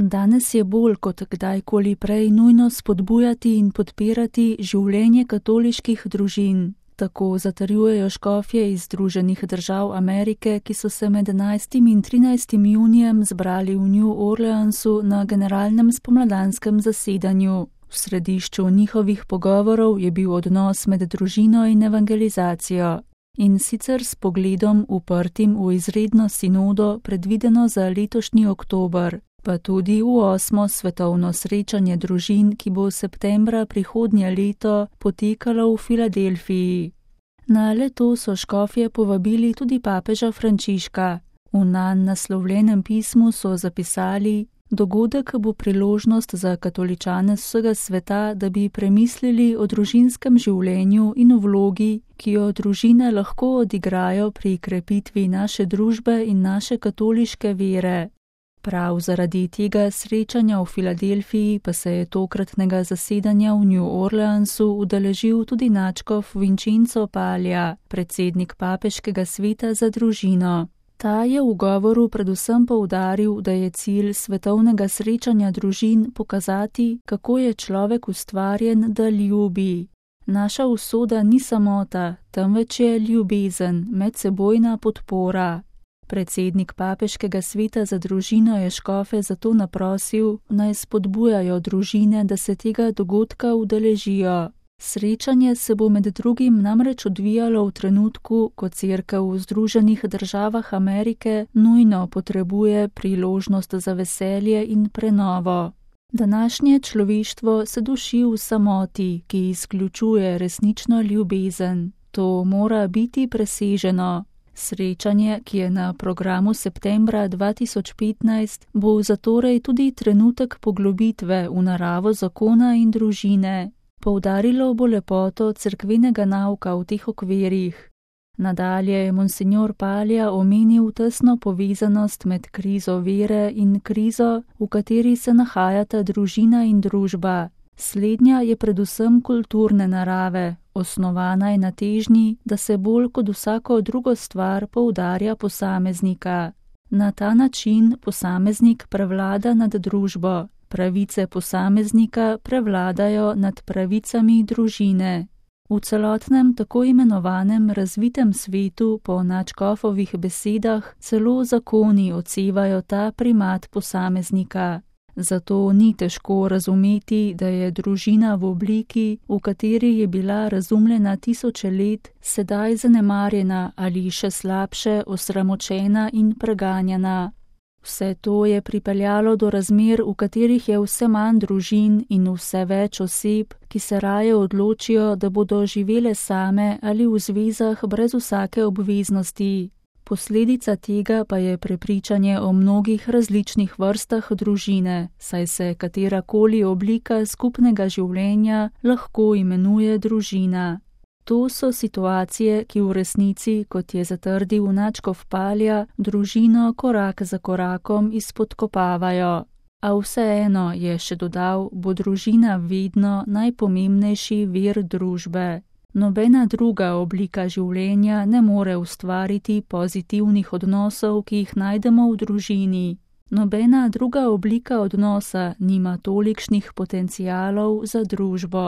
Danes je bolj kot kdajkoli prej nujno spodbujati in podpirati življenje katoliških družin. Tako zatrjujejo škofje iz Združenih držav Amerike, ki so se med 11. in 13. junijem zbrali v New Orleansu na generalnem spomladanskem zasedanju. V središču njihovih pogovorov je bil odnos med družino in evangelizacijo. In sicer s pogledom uprtim v izredno sinodo, predvideno za letošnji oktober, pa tudi v 8. svetovno srečanje družin, ki bo septembra prihodnje leto potekalo v Filadelfiji. Na leto so škofje povabili tudi papeža Frančiška. V nanj naslovljenem pismu so zapisali: dogodek bo priložnost za katoličane vsega sveta, da bi premislili o družinskem življenju in o vlogi, ki jo družine lahko odigrajo pri krepitvi naše družbe in naše katoliške vere. Prav zaradi tega srečanja v Filadelfiji pa se je tokratnega zasedanja v New Orleansu udeležil tudi nadškof Vincenzo Paglia, predsednik papeškega sveta za družino. Ta je v govoru predvsem poudaril, da je cilj svetovnega srečanja družin pokazati, kako je človek ustvarjen, da ljubi. Naša usoda ni samota, temveč je ljubezen, medsebojna podpora. Predsednik papeškega sveta za družino je škofe zato naprosil, naj spodbujajo družine, da se tega dogodka udeležijo. Srečanje se bo med drugim namreč odvijalo v trenutku, ko Cerkev v Združenih državah Amerike nujno potrebuje priložnost za veselje in prenovo. Današnje človeštvo se duši v samoti, ki izključuje resnično ljubezen. To mora biti preseženo. Srečanje, ki je na programu septembra 2015, bo zatorej tudi trenutek poglobitve v naravo zakona in družine. Poudarilo bo lepoto cerkvenega nauka v teh okvirih. Nadalje je monsignor Paglia omenil tesno povezanost med krizo vere in krizo, v kateri se nahajata družina in družba. Slednja je predvsem kulturne narave, osnovana je na težnji, da se bolj kot vsako drugo stvar poudarja posameznika. Na ta način posameznik prevlada nad družbo. Pravice posameznika prevladajo nad pravicami družine. V celotnem tako imenovanem razvitem svetu po nadškofovih besedah celo zakoni odsevajo ta primat posameznika. Zato ni težko razumeti, da je družina v obliki, v kateri je bila razumljena tisoče let, sedaj zanemarjena ali še slabše osramočena in preganjana. Vse to je pripeljalo do razmer, v katerih je vse manj družin in vse več oseb, ki se raje odločijo, da bodo živele same ali v zvezah brez vsake obveznosti. Posledica tega pa je prepričanje o mnogih različnih vrstah družine, saj se katerakoli oblika skupnega življenja lahko imenuje družina. To so situacije, ki v resnici, kot je zatrdil nadškof Paglia, družino korak za korakom izpodkopavajo. A vseeno, je še dodal, bo družina vedno najpomembnejši vir družbe. Nobena druga oblika življenja ne more ustvariti pozitivnih odnosov, ki jih najdemo v družini. Nobena druga oblika odnosa nima tolikšnih potencialov za družbo.